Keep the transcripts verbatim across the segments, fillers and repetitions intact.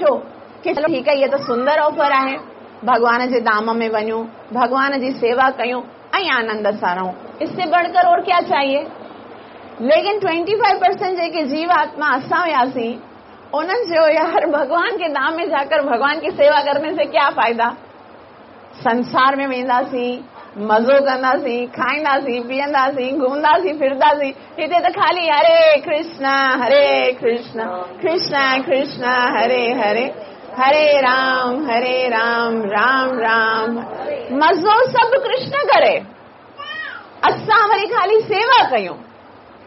सोचियो कि चलो ठीकु आहे, इहा त सुंदर ऑफर आहे, भॻवान जे धाम में वञूं, भॻवान जी सेवा कयूं ऐं आनंद सां रहूं, इससे बढ़कर और क्या चाहिए। लेकिन पच्चीस परसेंट जेके जीव आत्मा असां हुयासीं, उन्हनि चयो यार भगवान के धाम में जाकर भगवान की सेवा करने से क्या फायदा, संसार में वेंदासीं, मज़ो कंदासीं, खाईंदासीं, पीअंदासीं, घुमंदासीं, फिरंदासीं, हिते त ख़ाली हरे कृष्ण हरे कृष्ण कृष्ण कृष्ण हरे हरे हरे राम हरे राम राम राम, मज़ो सभु कृष्ण करे, असां वरी ख़ाली सेवा कयूं।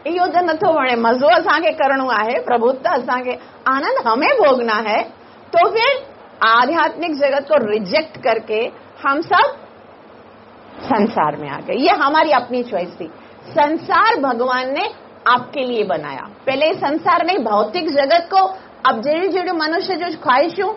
इहो त नथो वणे, मज़ो असांखे करणो आहे, प्रभु त असांखे आनंद हमें भोगना है, तो फिर आध्यात्मिक जगत को रिजेक्ट करके हम सब संसार में आ गए। ये हमारी अपनी चॉइस थी। संसार भगवान ने आपके लिए बनाया, पहले संसार नहीं, भौतिक जगत को अब जहिड़ी जहिड़ियूं मनुष्य जो ख्वाहिशूं,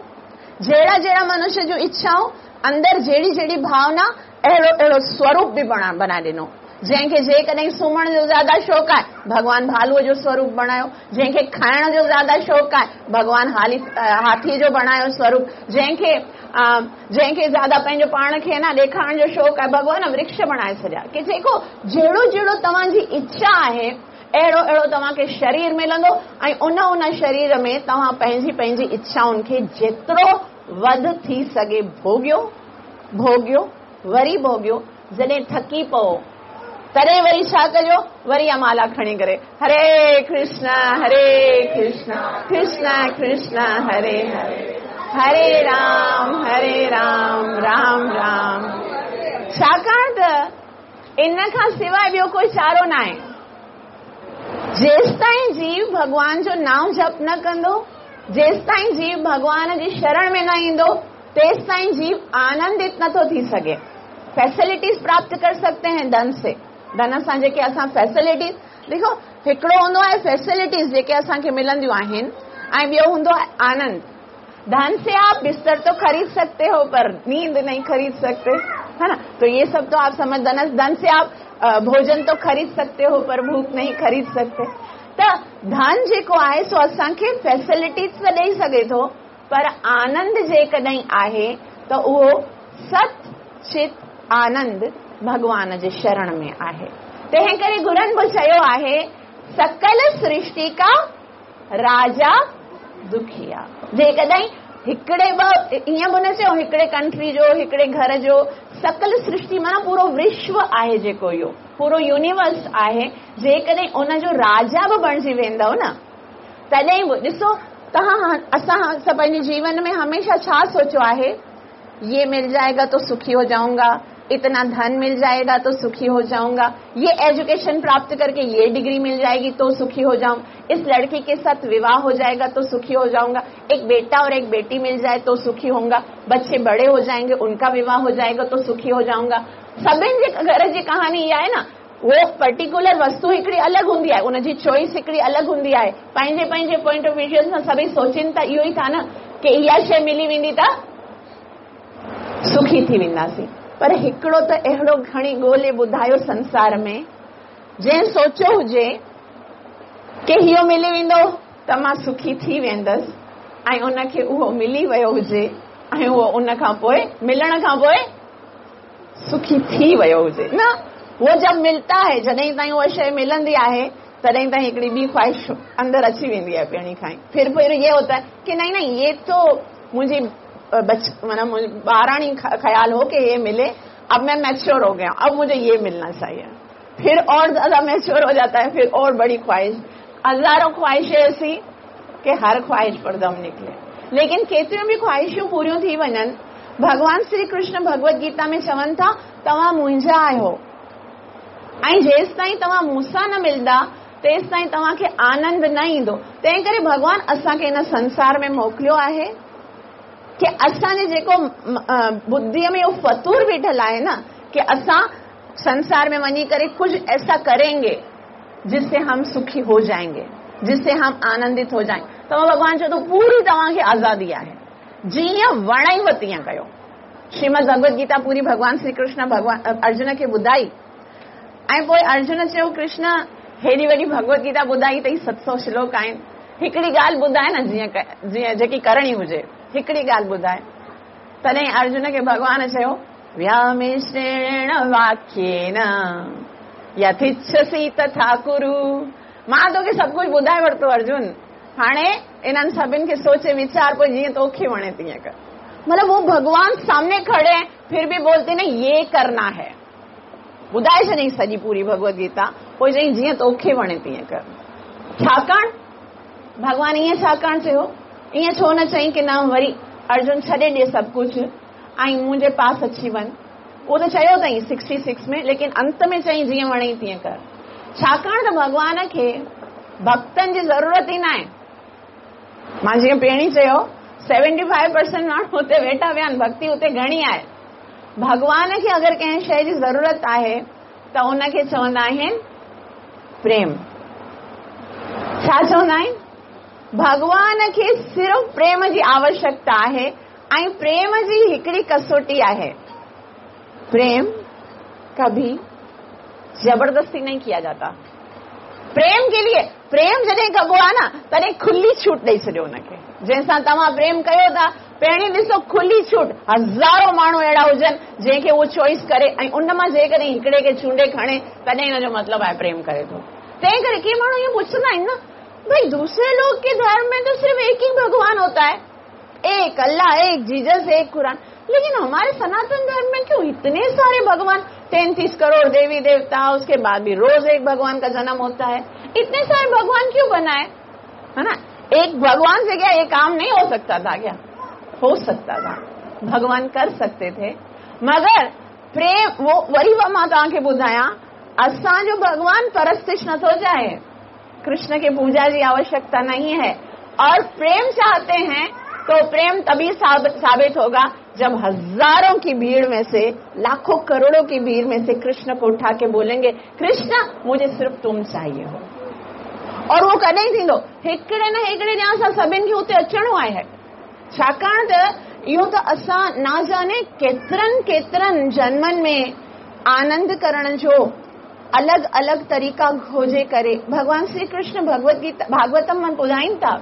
जहिड़ा जहिड़ा मनुष्य जो इच्छाऊं, अंदरि जहिड़ी जहिड़ी भावना, अहिड़ो अहिड़ो स्वरूप बि बणा बनाए ॾिनो। जंहिंखे जेकॾहिं सुम्हण जो ज़्यादा शौक़ु आहे, भॻवान भालूअ जो स्वरूप बणायो। जंहिंखे खाइण जो ज़्यादा शौक़ु आहे, भॻवान हाली हाथीअ जो बणायो स्वरूप। जंहिंखे जंहिंखे ज़्यादा पंहिंजो पाण खे न ॾेखारण जो शौक़ु आहे, भॻवान वृक्ष बणाए छॾिया की जेको जहिड़ो जहिड़ो तव्हांजी इच्छा आहे, अहिड़ो अहिड़ो तव्हांखे शरीर मिलंदो ऐं उन उन शरीर में तव्हां पंहिंजी पंहिंजी इच्छाउनि खे जेतिरो वधि थी सघे भोगियो, भोगियो, वरी भोगियो। जॾहिं थकी पओ तॾहिं वरी छा कजो, वरी माला खणी करे हरे कृष्ण हरे कृष्ण कृष्ण कृष्ण हरे हरे हरे राम हरे राम राम राम। छाकाणि त इन खां सिवाइ ॿियो कोई चारो न आहे। जेसि ताईं जीव भॻवान जो नाम जप न कंदो, जेसि ताईं जीव भॻवान जी शरण में न ईंदो, तेसि ताईं जीव आनंदित नथो थी सघे। फैसिलिटीज प्राप्त कर सकते हैं धन से, धन सां जेके असां फैसिलिटीज ॾिसो, हिकिड़ो हूंदो आहे फैसिलिटीज जेके असांखे मिलंदियूं आहिनि ऐं ॿियो हूंदो आहे आनंद। धन से आप बिस्तर तो खरीद सकते हो पर नींद नहीं खरीद सकते, है ना। तो ये सब तो आप समझ, धन धन से आप भोजन तो खरीद सकते हो पर भूख नहीं खरीद सकते। त धन जेको आहे सो असांखे फैसिलिटीज त ॾेई सघे थो पर आनंद जेकॾहिं आहे त उहो सत चित आनंद भॻवान जे शरण में आहे। तंहिं करे गुरुनि बि चयो आहे, सकल सृष्टि का राजा दुखिया। जेकॾहिं हिकिड़े ॿ ईअं बि न चयो हिकिड़े कंट्री जो, हिकिड़े घर जो, सकल सृष्टि माना पूरो विश्व आहे जेको, इहो पूरो यूनिवर्स आहे। जेकॾहिं उनजो राजा बि बणिजी वेंदव न, तॾहिं बि ॾिसो तव्हां असां सभु पंहिंजे जीवन में हमेशा छा सोचियो आहे, ये मिल जाएगा तो सुखी हो जाऊंगा, इतना धन मिल जाएगा तो सुखी हो जाऊंगा, ये एजुकेशन प्राप्त करके ये डिग्री मिल जाएगी तो सुखी हो जाऊं, इस लड़की के साथ विवाह हो जाएगा तो सुखी हो जाऊंगा, एक बेटा और एक बेटी मिल जाए तो सुखी होऊंगा, बच्चे बड़े हो जाएंगे उनका विवाह हो जाएगा तो सुखी हो जाऊंगा। सभिनि जे घर जी कहानी इहा आहे न, वो पर्टिकुलर वस्तु हिकिड़ी अलॻि हूंदी आहे, उनजी चॉइस हिकिड़ी अलॻि हूंदी आहे। पंहिंजे पंहिंजे पॉइंट ऑफ विजन सां सभई सोचनि था इहो ई था न की इहा शइ मिली वेंदी त सुखी थी वेंदासीं। पर हिकिड़ो त अहिड़ो खणी ॻोल्हे ॿुधायो संसार में जंहिं सोचियो हुजे की इहो मिली वेंदो त मां सुखी थी वेंदसि, ऐं उनखे उहो मिली वियो हुजे ऐं उहो उन खां पोइ मिलण खां पोइ सुखी थी वियो हुजे न। वो जब मिलता है, जॾहिं ताईं उहा शइ मिलंदी आहे तॾहिं ताईं हिकिड़ी ॿी ख़्वाहिश अंदरि अची वेंदी आहे पहिरीं खां ई। फिर फिर ये होता है कि नहीं नहीं ये तो मुंहिंजी बच माना ॿाराणी ख़्याल हो कि ये मिले, अब मैं मैच्योर हो गया, अब मुझे ये मिलना चाहिए। फिर और ज्यादा मैच्योर हो जाता है, फिर और बड़ी ख्वाहिश, हजारों ख्वाहिशें ऐसी कि हर ख्वाहिश पर दम निकले। लेकिन केतिरियूं बि ख्वाहिशूं पूरियूं थी वञनि। भॻवान श्री कृष्ण भगवत गीता में चवनि था, तव्हां मुंहिंजा आहियो ऐं जेसि ताईं तव्हां मूंसां न मिलंदा तेसि ताईं तव्हांखे आनंद न ईंदो। तंहिं करे भॻवान असांखे हिन संसार में मोकिलियो आहे कि असांजे जेको बुद्धिअ में इहो फतूर बीठल आहे न कि असां संसार में वञी करे कुझु ऐसा करेंगे जिससे हम सुखी हो जाएंगे, जिससे हम आनंदित हो जाएंगे। त भॻवान चयो थो पूरी तव्हांखे आज़ादी आहे, जीअं वणईव तीअं कयो। श्रीमद भगवत गीता पूरी भॻवान श्री कृष्ण भॻवान अर्जुन खे ॿुधाई ऐं पोइ अर्जुन चयो, कृष्ण हेॾी वॾी भगवत गीता ॿुधाई अथई, सत सौ श्लोक आहिनि, हिकिड़ी ॻाल्हि ॿुधाए न, जीअं जीअं जेकी करणी हुजे, हिकिड़ी ॻाल्हि ॿुधाए। तॾहिं अर्जुन खे भॻवान चयो, व्यामिश्रेण वाक्येन यथिच्छसि तथा कुरु। मां तोखे सभु कुझु ॿुधाए वरितो अर्जुन, हाणे इन्हनि सभिनि खे सोचे वीचार, पोइ जीअं तोखे वणे तीअं कर। मतलब वो भगवान सामने खड़े हैं, फिर भी बोलते ना ये करना है। ॿुधाए छॾियईं सॼी पूरी भगवत गीता, पोइ चयईं जीअं तोखे वणे तीअं कर। छाकाणि भॻवान ईअं छाकाणि चयो, ईअं छो न चयईं की न वरी अर्जुन छॾे ॾे सभु कुझु ऐं मुंहिंजे पास अची वञ। उहो त चयो अथई सिक्सटी सिक्स में, लेकिन अंत में चयईं जीअं वणेई तीअं कर। छाकाणि त भॻवान खे भक्तनि जी ज़रूरत ई न आहे। मां जीअं पहिरीं चयो, सेवेंटी फाइव परसेंट माण्हू हुते वेठा विया आहिनि, भक्ति हुते घणी आहे। भॻवान खे अगरि कंहिं शइ जी ज़रूरत आहे त उनखे चवंदा आहिनि प्रेम। छा चवंदा आहिनि? भॻवान खे सिर्फ़ प्रेम जी आवश्यकता आहे ऐं प्रेम जी हिकिड़ी कसोटी आहे। प्रेम कभी जबरदस्ती नहीं किया जाता। प्रेम के लिए प्रेम जॾहिं कबो आहे न, तॾहिं खुली छूट ॾेई छॾियो हुनखे। जंहिंसां तव्हां प्रेम कयो था, पहिरीं ॾिसो खुली छूट, हज़ारो माण्हू अहिड़ा हुजनि जंहिंखे उहो चॉइस करे ऐं उन मां जेकॾहिं हिकिड़े खे चूंडे खणे, तॾहिं हिनजो मतिलबु आहे प्रेम करे थो। तंहिं करे के माण्हू इहो पुछंदा आहिनि न, भाई दूसरे लोग के धर्म में तो सिर्फ एक ही भगवान होता है, एक अल्लाह, एक जीसस, एक कुरान, लेकिन हमारे सनातन धर्म में क्यों इतने सारे भगवान, तैंतीस करोड़ देवी देवता, उसके बाद भी रोज एक भगवान का जन्म होता है, इतने सारे भगवान क्यों बनाए, है ना? एक भगवान से क्या ये काम नहीं हो सकता था क्या? हो सकता था, भगवान कर सकते थे, मगर प्रेम वो वरी मां तव्हांखे ॿुधायां, असांजो भगवान परस्तिश नथो चाहे, कृष्ण के पूजा जी आवश्यकता नहीं है। और प्रेम चाहते हैं तो प्रेम तभी साबित होगा जब हजारों की भीड़ में से, लाखों करोड़ों की भीड़ में से कृष्ण को उठा के बोलेंगे, कृष्ण मुझे सिर्फ तुम चाहिए हो। और वो कॾहिं थींदो? हिकिड़े न हिकिड़े ॾींहुं असां सभिनि खे उते अचिणो आहे। छाकाणि त इहो त असां न जाने केतिरनि केतिरनि जन्मनि में आनंद करण जो अलॻि अलॻि तरीक़ा खोजे करे भॻवान श्री कृष्ण भगवत गीता भागवतम में ॿुधाइनि था।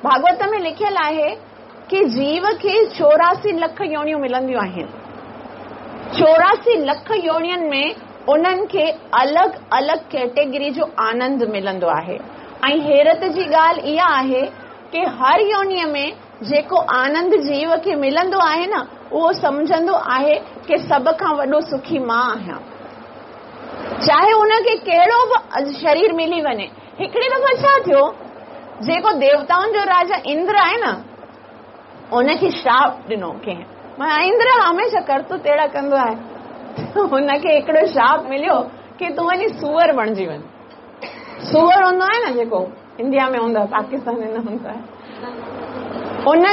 भागवत में लिखियल आहे कि जीव खे चौरासी लख योनियूं मिलंदियूं आहिनि। चौरासी लख योनियुनि में उन्हनि खे अलॻि अलॻि कैटेगरी जो आनंद मिलंदो आहे। ऐं हैरत जी ॻाल्हि इहा आहे कि हर योनीअ में जेको आनंद जीव खे मिलंदो आहे न, उहो सम्झंदो आहे कि सभ खां वॾो सुखी मां आहियां, चाहे उनखे कहिड़ो बि शरीर मिली वञे। हिकिड़ी दफ़ा छा थियो, जेको देवताउनि जो राजा इंद्र आहे न, उनखे श्राप ॾिनो कंहिं। माना इंद्र हमेशह करतूत अहिड़ा कंदो आहे, हुनखे हिकिड़ो श्राप मिलियो कि तूं वञी सूअर बणिजी वञ। सूअर हूंदो आहे न जेको इंडिया में हूंदो आहे, पाकिस्तान में न हूंदो आहे। उन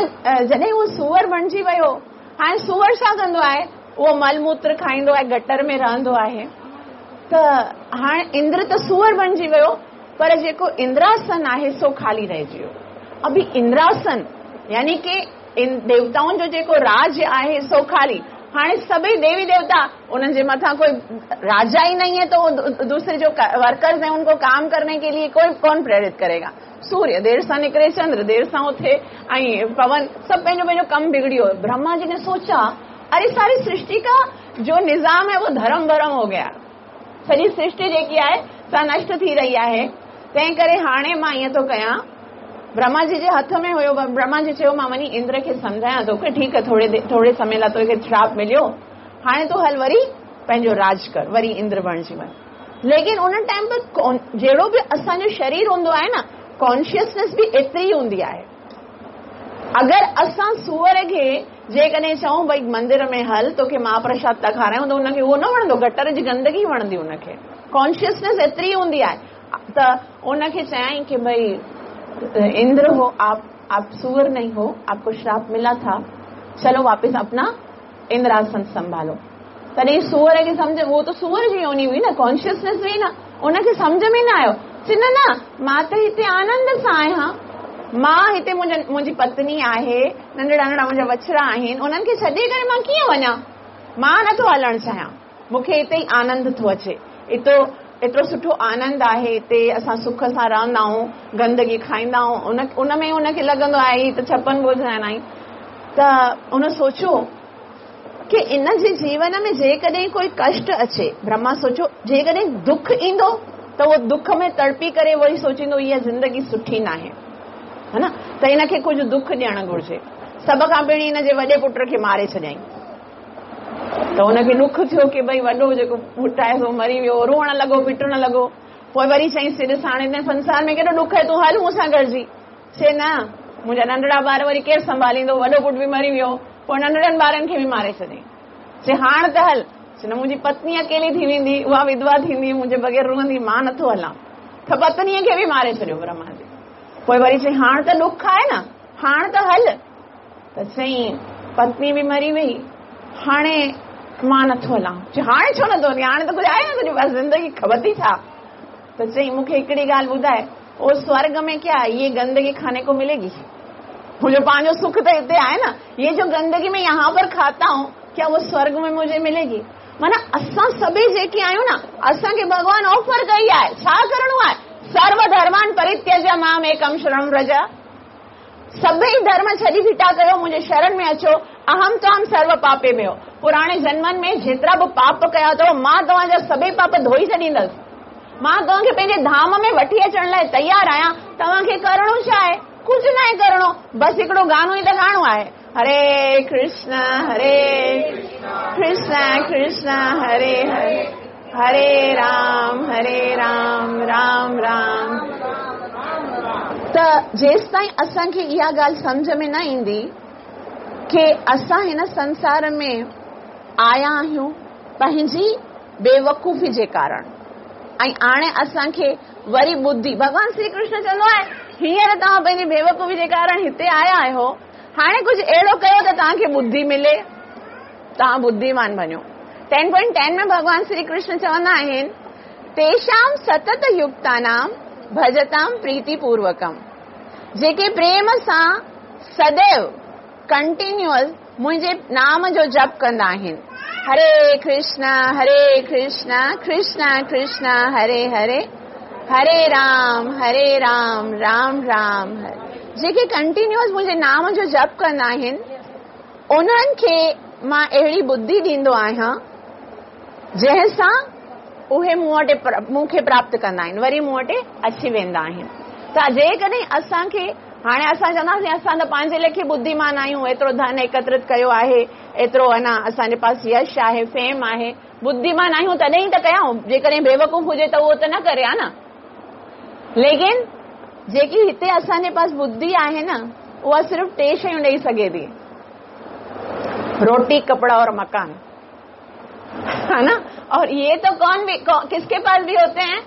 जॾहिं उहो सूअर बणिजी वियो, हाणे सूअर छा कंदो आहे, उहो मलमूत्र खाईंदो आहे, गटर में रहंदो आहे। त हाणे इंद्र त सूअर बणिजी वियो, पर जेको इंद्रासन आहे सो खाली रहिजी वियो। अभी इंद्रासन यानी कि देवताउनि जो जेको राज आहे सो खाली। हाणे सभई देवी देवता उन्हनि जे मथां कोई राजा ही नहीं है, तो दूसरे जो वर्कर्स हैं उनको काम करने के लिए कोई कौन प्रेरित करेगा? सूर्य देर सां निकिरे, चंद्र देर सां उथे, ऐं पवन, सभु पंहिंजो पंहिंजो कमु बिगड़ी वियो। ब्रह्मा जी ने सोचा, अरे सारी सृष्टि का जो निज़ाम है वो धर्म भरम हो गया, सॼी सृष्टि जेकी आहे सा नष्ट थी रही आहे, तंहिं करे हाणे मां ईअं थो कयां। ब्रह्मा जी जे हथ में हुयो, ब्रह्मा जी चयो मां वञी इंद्र खे सम्झायां थो की ठीकु आहे, थोरे थोरे समय लाइ तोखे श्राप मिलियो, हाणे तूं हल वरी पंहिंजो राज कर, वरी इंद्र बणिजी वञ। लेकिन उन टाइम पर जहिड़ो बि असांजो शरीर हूंदो आहे न, कॉन्शियसनेस बि एतिरी हूंदी आहे। अगरि असां सूअर खे जेकॾहिं चऊं भई मंदिर में हल, तोखे महाप्रसाद था खारायूं, त हुनखे उहो न वणंदो, गटर जी गंदगी वणंदी हुनखे। कॉन्शियसनेस एतिरी हूंदी आहे। त उनखे चयाईं की भई इंद्र हो आप, आप सूअर नहीं हो, आपको श्राप मिला था, चलो वापस अपना इंद्रासन संभालो। तॾहिं सूअर खे सम्झ, उहो त सूअर जी योनि हुई न, कॉन्शियसनेस हुई न, उनखे सम्झ में न आयो। चई न न, मां त हिते आनंद सां आहियां, मां हिते मुंहिंजी पत्नी आहे, नंढड़ा नंढड़ा मुंहिंजा बछड़ा आहिनि, उन्हनि खे छॾे करे मां कीअं वञा? मां नथो हलणु चाहियां, मूंखे हिते ई आनंद थो अचे, हितो एतिरो सुठो आनंद आहे हिते, असां सुख सां रहंदा आहियूं, गंदगी खाईंदा आहियूं, उन उन में उनखे लॻंदो आहे हीअ त छप्पन भोग आहिनि। त उन सोचियो की इन जे जीवन में जेकॾहिं कोई कष्ट अचे, ब्रह्मा सोचियो जेकॾहिं दुख ईंदो त उहो दुख में तड़पी करे वरी सोचींदो इहा ज़िंदगी सुठी न आहे, हा न, त इनखे कुझु दुख ॾियणु घुरिजे। सभ खां पहिरीं हिन जे वॾे पुट खे मारे छॾियईं। त हुनखे ॾुख थियो की भई वॾो जेको पुटु आहे सो मरी वियो, रोअण लॻो, पिटण लॻो। पोइ वरी चयईंसि, ॾिस हाणे हिन संसार में केॾो ॾुख आहे, तूं हल मूंसां गॾिजी। चए न, मुंहिंजा नंढड़ा ॿार वरी केरु संभालींदो, वॾो पुटु बि मरी वियो, पोइ नंढड़नि ॿारनि खे बि मारे छॾियईं। चए हाणे त हल। चए न, मुंहिंजी पत्नी अकेली थी वेंदी, उहा विधवा थींदी, मुंहिंजे बग़ैर रुअंदी, मां नथो हलां। त पत्नीअ खे बि मारे छॾियो ब्रह्मा जी। पोइ वरी चई हाणे त ॾुख आहे न, हाणे त हल। त चई पत्नी बि मरी वई, हाणे मां नथो हलां। चई हाणे छो नथो हली, हाणे त कुझु आहे न तुंहिंजे पास, ज़िंदगी ख़बर थी छा? त चई मूंखे हिकिड़ी ॻाल्हि ॿुधाए, ओ स्वर्ग में क्या ये गंदगी खाने को मिलेगी? मुंहिंजो पंहिंजो सुख त हिते आहे न, ये जो गंदगी मैं यहाँ पर खाता हूँ क्या वो स्वर्ग में मुझे मिलेगी? माना असां सभई जेके आहियूं न, असांखे भॻवान ऑफर कई आहे, छा करिणो आहे? सर्व धर्मान परित्यज माम एकम शरण व्रज, सभई धर्म छॾी फिटा कयो, मुंहिंजे शरण में अचो, अहम त्वाम सर्व पापे में हो। पुराणे जन्मनि में जेतिरा बि पाप कया अथव, मां तव्हांजा सभई पाप धोई छॾींदसि, मां तव्हांखे पंहिंजे धाम में वठी अचण लाइ तयारु आहियां। तव्हांखे करिणो छा आहे? कुझु न आहे करिणो, बसि हिकिड़ो गानो ई त ॻाइणो आहे, हरे कृष्ण हरे कृष्ण कृष्ण हरे हरे, हरे राम हरे राम राम राम। त जेसि ताईं असांखे इहा ॻाल्हि सम्झ में न ईंदी की असां हिन संसार में आया आहियूं पंहिंजी बेवकूफ़ी जे कारण, ऐं हाणे असांखे वरी बुद्धि, भॻवान श्री कृष्ण चवंदो आहे हींअर तव्हां पंहिंजी बेवकूफ़ी जे कारण हिते आया आहियो, हाणे कुझु अहिड़ो कयो त तव्हांखे बुद्धि मिले, तव्हां बुद्धिमान वञो। टेन पॉइंट टेन में भॻवान श्री कृष्ण चवंदा आहिनि, तेषां सतत युक्तानां भजतां प्रीतिपूर्वकम, जेके प्रेम सां सदैव कंटिन्यूअस मुंहिंजे नाम जो जप कंदा आहिनि, हरे कृष्ण हरे कृष्ण कृष्ण कृष्ण हरे हरे, हरे राम हरे राम राम राम हरे, जेके कंटिन्यूअस मुंहिंजे नाम जो जप कंदा आहिनि उन्हनि खे मां अहिड़ी बुद्धि ॾींदो आहियां जंहिंसां उहे मूं वटि मूंखे प्राप्त कंदा आहिनि, वरी मूं वटि अची वेंदा आहिनि। त जेकॾहिं असांखे हाणे असां चवंदासीं असां त पंहिंजे लेखे बुद्धिमान आहियूं, एतिरो धन एकत्रित कयो आहे, एतिरो अञा असांजे पास यश आहे, फेम आहे, बुद्धिमान आहियूं तॾहिं त कयूं, जेकॾहिं बेवकूफ़ हुजे त उहो त न करे हा न। लेकिन जेकी हिते असांजे पास बुद्धि आहे न, उहा सिर्फ़ टे शयूं ॾेई सघे थी, रोटी कपड़ा और मकान, है ना। और ये तो कौन भी कौ, किसके पास भी होते हैं?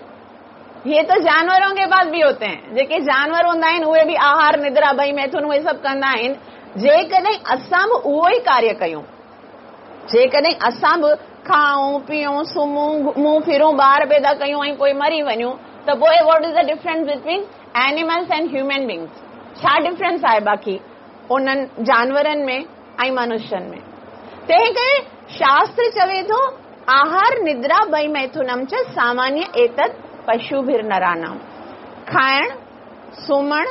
ये तो जानवरों के पास भी होते हैं। जेके जानवर हूंदा आहिनि उहे बि आहार निद्रा भई मैथुन उहे सभु कंदा आहिनि। जेकॾहिं असां बि उहो ई कार्य कयूं, जेकॾहिं असां बि खाऊं पीऊं सुम्हूं घुमूं फिरूं ॿार पैदा कयूं ऐं पोइ मरी वञूं, त पोइ what is the difference between animals and human beings? छा डिफरेंस आहे बाक़ी उन्हनि जानवरनि में ऐं मनुष्यनि में? तंहिं करे शास्त्र चवे थो आहार निद्रा भई मैथुनम च सामान्य एतत् पशुभिर्नराणाम, खाइण सुम्हण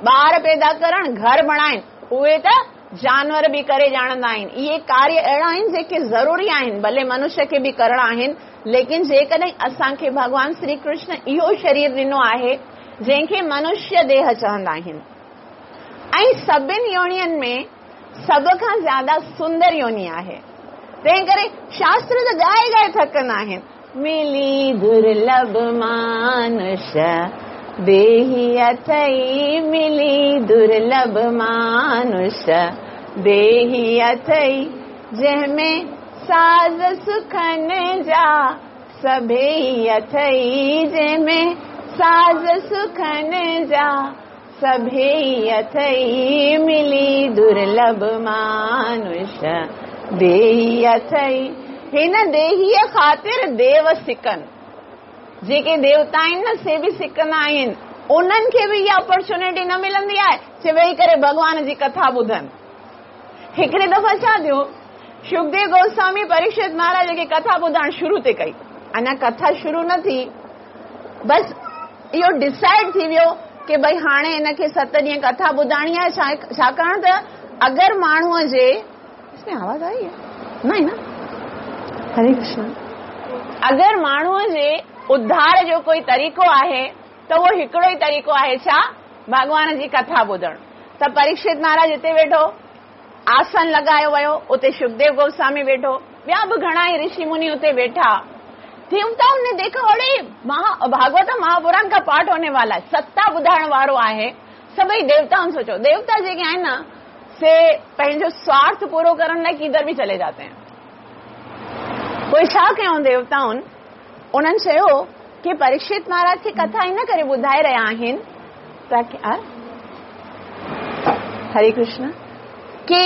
ॿार पैदा करण घर बणाइण, उहे त जानवर बि करे ॼाणंदा आहिनि। इहे कार्य अहिड़ा आहिनि जेके ज़रूरी आहिनि, भले मनुष्य खे बि करणा आहिनि, लेकिन जेकॾहिं असांखे भॻवान श्री कृष्ण इहो शरीर ॾिनो आहे जंहिंखे मनुष्य देह चवंदा आहिनि, ऐं सभिनी योनियुनि में सभ खां ज़्यादा सुंदर योनि आहे, तंहिं करे शास्त्र त ॻाए ॻाए थकंदा आहिनि, मिली दुर्लभ मानुष देही अथई, मिली दुर्लभ मानुष देही अथई, जंहिंमें साज़ सुखन जा सभई अथई, जंहिंमें साज़ सुखन जा सभई अथई, मिली दुर्लभ मानुष देही अथई। हिन देहीअ ख़ातिर देव सिकनि, जेके देवता आहिनि न से बि सिकंदा आहिनि, उन्हनि खे बि इहा अपॉर्चुनिटी न मिलंदी आहे जे वेही करे भॻवान जी कथा ॿुधनि। हिकिड़े दफ़ा छा थियो, सुखदेव गोस्वामी परीक्षित महाराज खे कथा ॿुधाइण शुरू ते कई, अञा कथा शुरू न थी, बसि इहो डिसाइड थी वियो की भई हाणे हिनखे सत ॾींहं कथा ॿुधाइणी आहे, छाकाणि त अगरि माण्हूअ जे इसमें आवाज़ आई है न न हरे कृष्ण, अगरि माण्हूअ जे उद्धार जो कोई तरीक़ो आहे त उहो हिकिड़ो ई तरीक़ो आहे, छा? भॻवान जी कथा ॿुधणु। त परीक्षित महाराज हिते वेठो, आसन लॻायो वियो, उते सुखदेव गोस्वामी वेठो, ॿिया बि घणा ई ऋषि मुनि उते वेठा। देवताउनि ने देखो, अड़े महा भागवत महापुराण का पाठ होने वाला है, सत्ता ॿुधाइण वारो आहे। सभई देवताउनि सोचो, देवता जेके आहिनि न से पंहिंजो स्वार्थ पूरो करण लाइ किधर भी चले जाते हैं। पोइ छा कयूं देवताउनि, उन्हनि चयो की परीक्षित महाराज खे कथा इन करे ॿुधाए रहिया आहिनि ताकी हरे कृष्ण की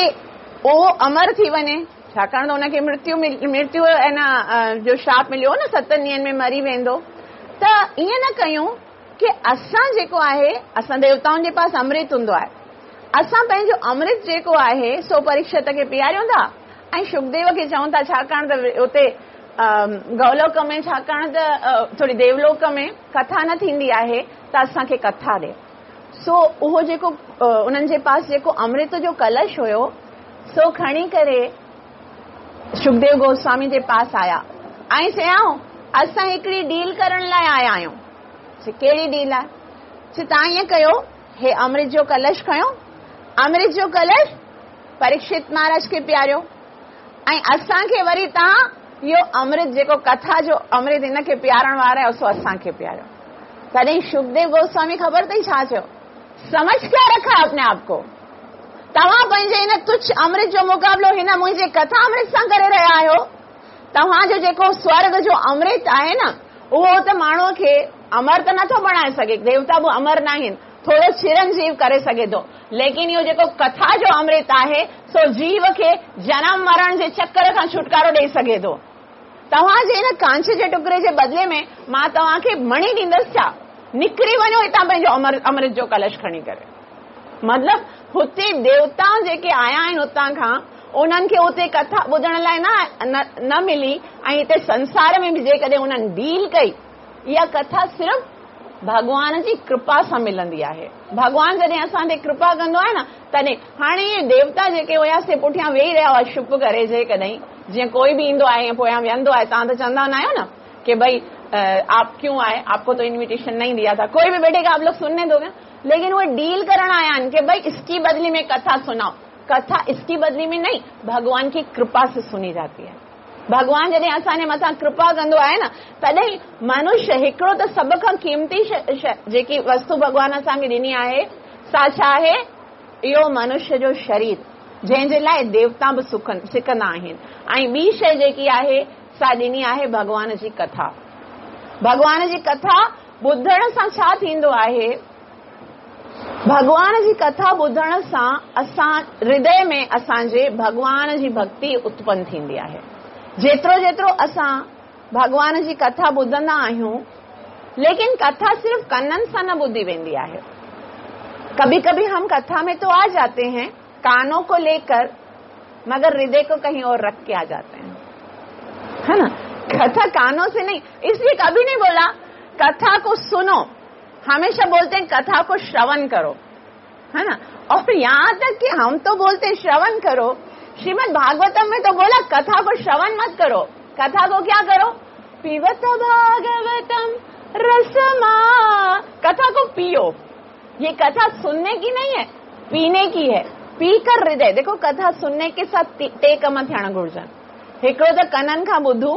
उहो अमर थी वञे, छाकाणि त हुनखे मृत्यु मृत्यु ऐं न जो श्राप मिलियो न सतनि ॾींहंनि में मरी वेंदो। त ईअं न कयूं की असां जेको आहे, असां देवताउनि जे पास अमृत हूंदो आहे, असां पंहिंजो अमृत जेको आहे सो परीक्षित खे पीआरियूं था ऐं सुखदेव खे चऊं था, छाकाणि त उते गौलोक में, छाकाणि त थोरी देवलोक में कथा न थींदी आहे, त असांखे कथा ॾे। सो उहो जेको उन्हनि जे पास जेको अमृत जो कलश हुयो सो खणी करे सुखदेव गोस्वामी जे पास आया ऐं चयाऊं असां हिकिड़ी डील करण लाइ आया आहियूं। कहिड़ी डील आहे? तव्हां ईअं कयो, हे अमृत जो कलश खयो, अमृत जो कलश परीक्षित महाराज खे पीआरियो ऐं असांखे वरी तव्हां इहो अमृत जेको कथा जो अमृत हिनखे पीआरण वारा आहियो सो असांखे पीआरियो। तॾहिं सुखदेव गोस्वामी ख़बर अथई छा चयो, समझ क्या रखा अपने आप को, तव्हां पंहिंजे हिन तुच्छ अमृत जो मुक़ाबिलो हिन मुंहिंजे कथा अमृत सां करे रहिया आहियो। तव्हांजो जेको स्वर्ग जो अमृत आहे न उहो त माण्हूअ खे अमर त नथो बणाए सघे, देवता बि अमर न आहिनि, थोरो चिरंजीव करे सघे थो, लेकिन इहो जेको कथा जो अमृत आहे सो जीव खे जनम मरण जे चक्कर खां छुटकारो ॾेई सघे थो। तव्हांजे हिन कांच जे टुकड़े जे बदिले में मां तव्हांखे मणी ॾींदसि छा? निकिरी वञो हितां पंहिंजो अमर अमृत जो कलश खणी करे। मतिलबु हुते देवता जेके आया आहिनि हुतां खां, उन्हनि खे उते कथा ॿुधण लाइ न न मिली ऐं हिते संसार में बि जेकॾहिं उन्हनि डील कई, इहा कथा सिर्फ़ भॻवान जी कृपा सां मिलंदी आहे। भॻवान जॾहिं असां ते कृपा कंदो आहे न तॾहिं। हाणे इहे देवता जेके हुया से पुठियां वेही रहिया हुआ छुप करे, जेकॾहिं जीअं कोई बि ईंदो आहे पोयां वेहंदो आहे, तव्हां त चवंदा न आहियो न कि भई आप क्यों आए, आपको तो इन्विटेशन नहीं दिया था, कोई भी बैठेगा आप लोग सुनने दोगे, लेकिन वो डील करण आया आहिनि कि भाई इसकी बदली में कथा सुनाओ। कथा इसकी बदली में नहीं, भगवान की कृपा से सुनी जाती है। भॻवान जॾहिं असांजे मथां कृपा कंदो आहे न तॾहिं मनुष्य हिकिड़ो त सभ खां क़ीमती जेकी वस्तु भॻवान असांखे ॾिनी आहे सा छा आहे? इहो मनुष्य जो शरीर, जंहिंजे लाइ देवता बि सुखनि सिकंदा आहिनि। ऐं ॿी शइ जेकी आहे सा ॾिनी आहे भॻवान जी कथा। भॻवान जी कथा ॿुधण सां छा थींदो आहे? भॻवान जी कथा ॿुधण सां असां हृदय में असांजे भॻवान जी भक्ति उत्पन्न थींदी आहे। जेतिरो जेतिरो असां भॻवान जी कथा ॿुधंदा आहियूं, लेकिन कथा सिर्फ़ कननि सां न ॿुधी वेंदी आहे। कभी कभी हम कथा में तो आ जाते हैं कानों को लेकर, मगर हृदय को कहीं और रख के आ जाते हैं, है ना। कथा कानों से नहीं, इसलिए कभी नहीं बोला कथा को सुनो, हमेशा बोलते हैं कथा को श्रवण करो, है ना। और यहाँ तक कि हम तो बोलते हैं श्रवण करो, श्रीमद् भागवतम में तो बोला कथा को श्रवण मत करो, कथा को क्या करो? पीवत भागवतम रसमा, कथा को पियो। ये कथा सुनने की नहीं है, पीने की है। पीकर हृदय, देखो कथा सुनने के साथ टे कम थियण घुर्जनि। हिकिड़ो त कननि खां ॿुधूं,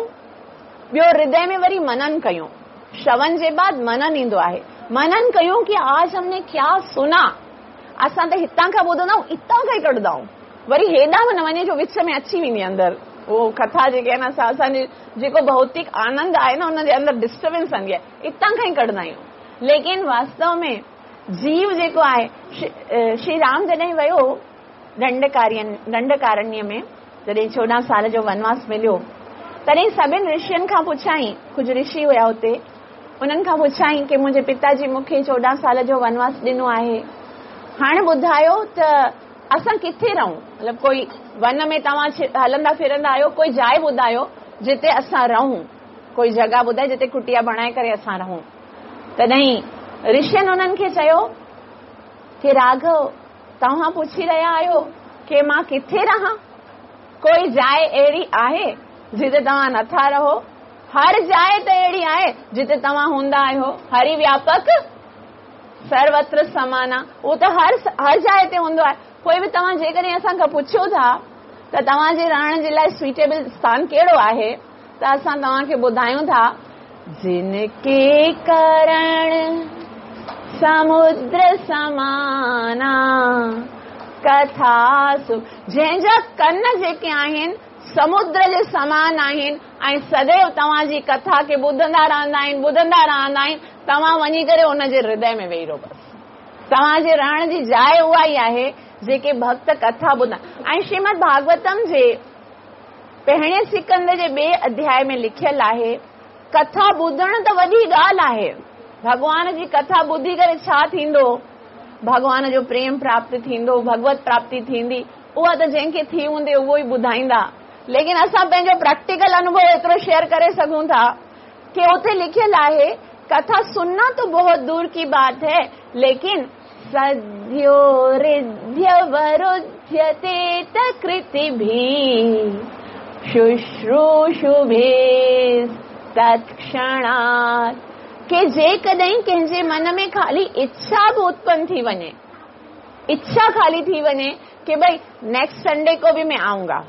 ॿियो हृदय में वरी मनन कयूं। श्रवण जे बाद मनन ईंदो आहे, मनन कयूं कि आज हमने क्या सुना। असां त हितां खां ॿुधंदा आहियूं, हितां खां ई कढंदा आहियूं, वरी हेॾां बि न वञे जो विच में अची वेंदी अंदरि उहो कथा जेके आहे न, असां असांजे जेको भौतिक आनंद आहे न हुनजे अंदरि डिस्टर्बेंस आंदी आहे, हितां खां ई कढंदा आहियूं। लेकिन वास्तव में जीव जेको आहे, श्री राम जॾहिं वियो दंडकार्य दंडकारण्य में, जॾहिं चोॾहं साल जो वनवास मिलियो, तॾहिं सभिनी ऋषियुनि खां पुछाई, कुझु ऋषि हुया हुते, उन्हनि खां पुछाई कि मुंहिंजे पिताजी मूंखे चोॾहं साल जो वनवास ॾिनो आहे, हाणे ॿुधायो त असां किथे रहूं? मतिलबु कोई वन में तव्हां हलंदा फिरंदा आहियो, कोई जाइ ॿुधायो जिते असां रहूं, कोई जॻह ॿुधाए जिते कुटिया बणाए करे असां रहूं। तॾहिं ऋषियुनि उन्हनि खे चयो की राघव, तव्हां पुछी रहिया आहियो की मां किथे रहां? कोई जाइ अहिड़ी आहे जिते तव्हां नथा रहो? हर जाइ त अहिड़ी आहे जिते तव्हां हूंदा आहियो। हरि व्यापक सर्वत्र समाना, उहो त हर हर जाइ ते हूंदो आहे। पोइ बि तव्हां जेकॾहिं असांखां पुछो था त तव्हांजे रहण जे लाइ सुटेबल स्थान कहिड़ो आहे, त असां तव्हांखे ॿुधायूं था, जिनके करण समुद्र समाना कथा सुख। जंहिंजा कन जेके आहिनि समुद्र जे समान आहिनि ऐं सदैव तव्हांजी कथा खे ॿुधंदा रहंदा आहिनि, ॿुधंदा रहंदा आहिनि। तव्हां वञी करे उनजे हृदय में वेही रहो। बसि तव्हांजे रहण जी जाइ उहा ई आहे जेके भक्त कथा ॿुधंदा। ऐं श्रीमद भागवतम जे पहिरें सिकंद जे ॿिए अध्याय में लिखियल आहे, कथा ॿुधणु त वॾी ॻाल्हि आहे। भॻवान जी कथा ॿुधी करे छा थींदो? भॻवान जो प्रेम प्राप्त थींदो, भगवत प्राप्ति थींदी। उहा त जंहिंखे थी हूंदी उहो ई ॿुधाईंदा। लेकिन असां पंहिंजो प्रैक्टिकल अनुभव एतिरो शेयर करे सघूं था कि उते लिखियल आहे, कथा सुनना तो बहुत दूर की बात है, लेकिन सद्यो हृदय वरुध्यते तकृति भी शुश्रूषुभिः तत्क्षणात्। के जेकॾहिं कंहिंजे मन में खाली इच्छा बि उत्पन्न थी वञे, इच्छा खाली थी वञे कि भई नेक्स्ट संडे को भी मैं आऊंगा।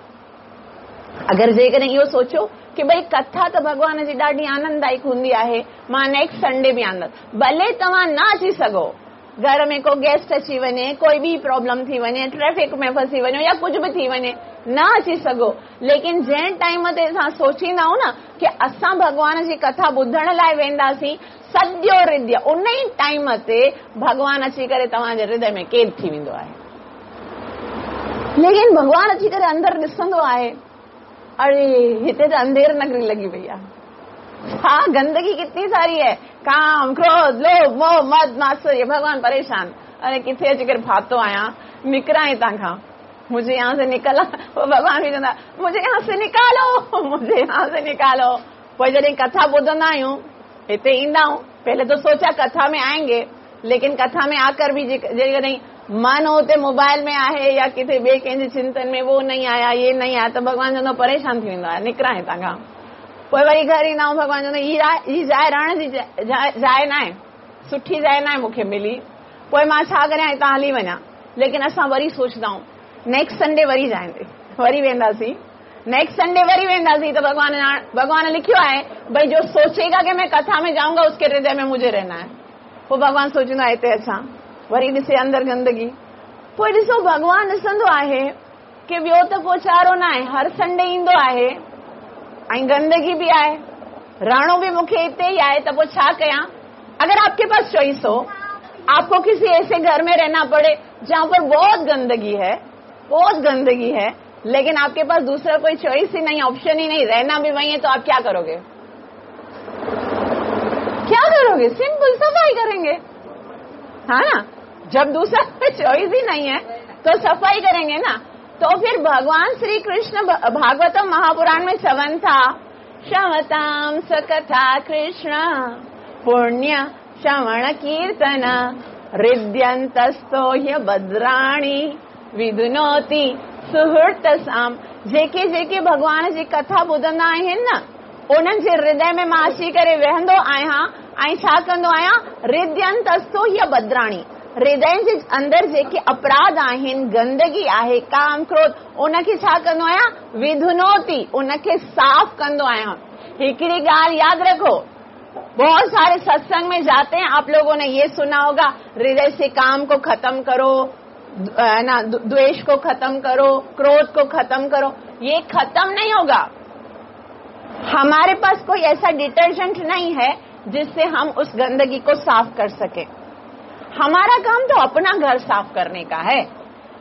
अगरि जेकॾहिं इहो सोचो कि भई कथा त भॻवान जी ॾाढी आनंददायक हूंदी आहे, मां नेक्स्ट संडे बि आंदसि, भले तव्हां न अची सघो, घर में को गेस्ट अची वञे, कोई बि प्रॉब्लम थी वञे, ट्रैफिक में फसी वञो या कुझु बि थी वञे, न अची सघो, लेकिन जंहिं टाइम ते असां सोचींदा आहियूं न कि असां भॻवान जी कथा ॿुधण लाइ वेंदासीं, सद्यो हृदय उन ई टाइम ते भॻवान अची करे तव्हांजे हृदय में कैद थी वेंदो आहे। लेकिन भॻवान अची करे अंदरि ॾिसंदो आहे, अरे हिते त अंधेर नगरी लॻी वई आहे, हा गंदगी कितनी सारी है, काम क्रोध लोभ मोह मद मात्सर्य, भगवान परेशान, अरे किथे अची करे फातो आहियां, निकिरां हितां खां, मुझे यहाँ से निकला। भॻवान बि चवंदा मुझे यहाँ से निकालो, मुझे यहाँ से निकालो। पोइ जॾहिं कथा ॿुधंदा आहियूं, हिते ईंदा आहियूं, पहले तो सोचा कथा में आएंगे, लेकिन कथा में आकर भी जेकॾहिं मन हुते मोबाइल में आहे या किथे ॿिए कंहिंजे चिंतन में वो नहीं आया ये नहीं आया, त भॻवान चवंदो परेशान थी वेंदो आहे, निकिरां हितां खां। पोइ वरी घर ईंदा आहियूं, भॻवान चवंदो हीअ जाइ रहण जी जाइ न आहे, सुठी जाइ न आहे मूंखे मिली, पोइ मां छा करियां, हितां हली वञा। लेकिन असां वरी सोचंदा आहियूं नेक्स्ट संडे वरी जाईंदे, वरी वेंदासीं, नेक्स्ट संडे वरी वेंदासीं। त भॻवान भॻवान लिखियो आहे भई जो सोचेगा कि मैं कथा में जाऊंगा उसके हृदय में मुझे रहना है। पोइ भॻवान सोचींदो आहे हिते अचां, वरी ॾिसे अंदरि गंदगी। पोइ ॾिसो भॻवान ॾिसंदो आहे की ॿियो त को चारो न आहे, हर संडे ईंदो आहे ऐं गंदगी बि आहे, रहणो बि मूंखे हिते ई आहे, त पोइ छा कयां? अगर आपके पास चॉइस हो, आपको किसी ऐसे घर में रहना पड़े जहाँ पर बहुत गंदगी है, बहुत गंदगी है, लेकिन आपके पास दूसरा कोई चॉइस ही नहीं, ऑप्शन ही नहीं, रहना भी वही है, तो आप क्या करोगे? क्या करोगे? सिंपल सफाई करेंगे, हाँ ना? जब दूसरा कोई चॉइस ही नहीं है तो सफाई करेंगे ना। तो फिर भगवान श्री कृष्ण भागवतम महापुराण में चवन था, क्षमताम सकथा कृष्ण पुण्य श्रवण कीर्तन हृदयंतस्तो ह्य भद्राणि विधुनोति सुहृतसाम। जेके जेके भॻवान जी कथा ॿुधंदा आहिनि न, उन्हनि जे हृदय में मां अची करे वेहंदो आहियां ऐं छा कंदो आहियां, हृदयंतस्तो ह्य भद्राणि, हृदय जे अंदरि जेके अपराध आहिनि, गंदगी आहे, काम क्रोध, उनखे छा कंदो आहियां, विधुनोति, उनखे साफ़ कंदो आहियां। हिकिड़ी ॻाल्हि यादि रखो, बहुत सारे सत्संग में जाते हैं, आप लोगों ने ये सुना होगा, हृदय से काम को खत्म करो, ना द्वेष को खत्म करो, क्रोध को खत्म करो। ये खत्म नहीं होगा। हमारे पास कोई ऐसा डिटर्जेंट नहीं है जिससे हम उस गंदगी को साफ कर सके। हमारा काम तो अपना घर साफ करने का है,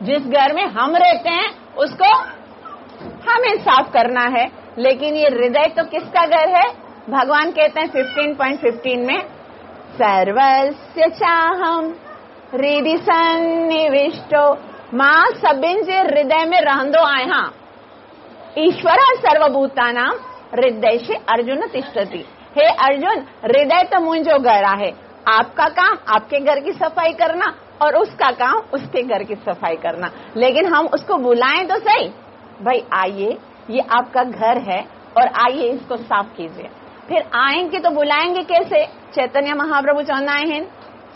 जिस घर में हम रहते हैं उसको हमें साफ करना है। लेकिन ये हृदय तो किसका घर है? भगवान कहते हैं फिफ्टीन पॉइंट फिफ्टीन में, सर्वस्य चाहम हृदि सन्निविष्टो, मां सभिनि जे हृदय में रहंदो आहियां। ईश्वर सर्वभूतानां हृदय से अर्जुन तिष्ठति। हे अर्जुन, हृदय त मुंहिंजो घर आहे, आपका काम आपके घर की सफाई करना और उसका काम उसके घर की सफाई करना। लेकिन हम उसको बुलाएं तो सही, भाई आइए, ये आपका घर है और आइए इसको साफ कीजिए। फिर आएंगे तो बुलाएंगे कैसे? चैतन्य महाप्रभु चवंदा आहिनि,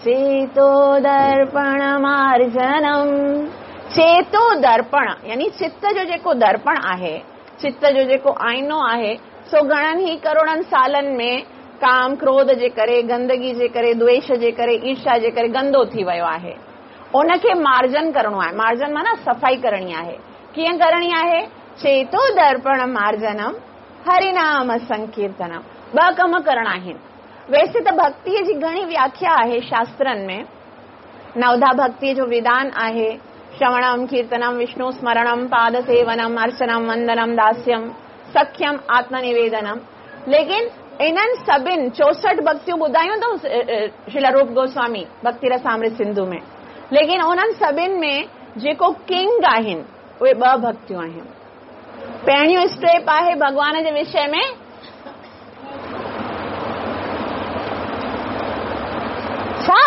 चेतो दर्पण मार्जनम। चेतो दर्पण यानी चित्त जो जेको दर्पण आहे, चित्त जो जेको आईनो आहे, सो घणनि ई करोड़नि सालनि में काम क्रोध जे करे, गंदगी जे करे, द्वेष जे करे, ईर्ष्या जे करे गंदो थी वियो आहे। उनखे मार्जन करणो आहे। मार्जन माना सफ़ाई करणी आहे। कीअं करणी आहे? चेतो दर्पण मार्जनम हरिनाम संकीर्तनम। ॿ कम करणा आहिनि। वैसे त भक्तीअ जी घणी व्याख्या आहे शास्त्रनि में। नवधा भक्तीअ जो विधान आहे, श्रवणम कीर्तनम विष्णु स्मरणम पाद सेवनम अर्चनम वंदनम दास्यम सख्यम आत्मनिवेदनम। लेकिन इन्हनि सभिनि चौसठि भक्तियूं ॿुधायूं अथऊं श्रील रूप गोस्वामी भक्ति रसामृत सिंधु में, लेकिन उन्हनि सभिनि में जेको किंग आहिनि उहे ॿ भक्तियूं आहिनि। पहिरियों स्टेप आहे भॻवान जे विषय में छा,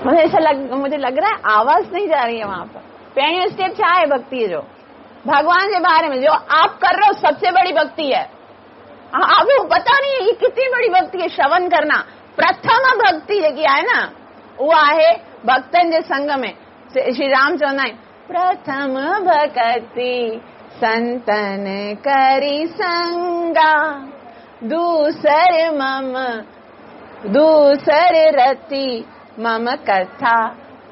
मुझे ऐसा लग मुझे लग रहा है आवाज नहीं जा रही है वहां पर। पहिरियों स्टेप छा आहे भक्ति जो? भगवान के बारे में जो आप कर रहे हो सबसे बड़ी भक्ति है। आपको पता नहीं है ये कितनी बड़ी भक्ति है। श्रवण करना प्रथम भक्ति जेकी आहे न, उहा आहे भक्तनि जे संग में। श्री राम चवंदा आहिनि, प्रथम भक्ति संतन करी संगा, दूसर मम दूसर रति मम कथा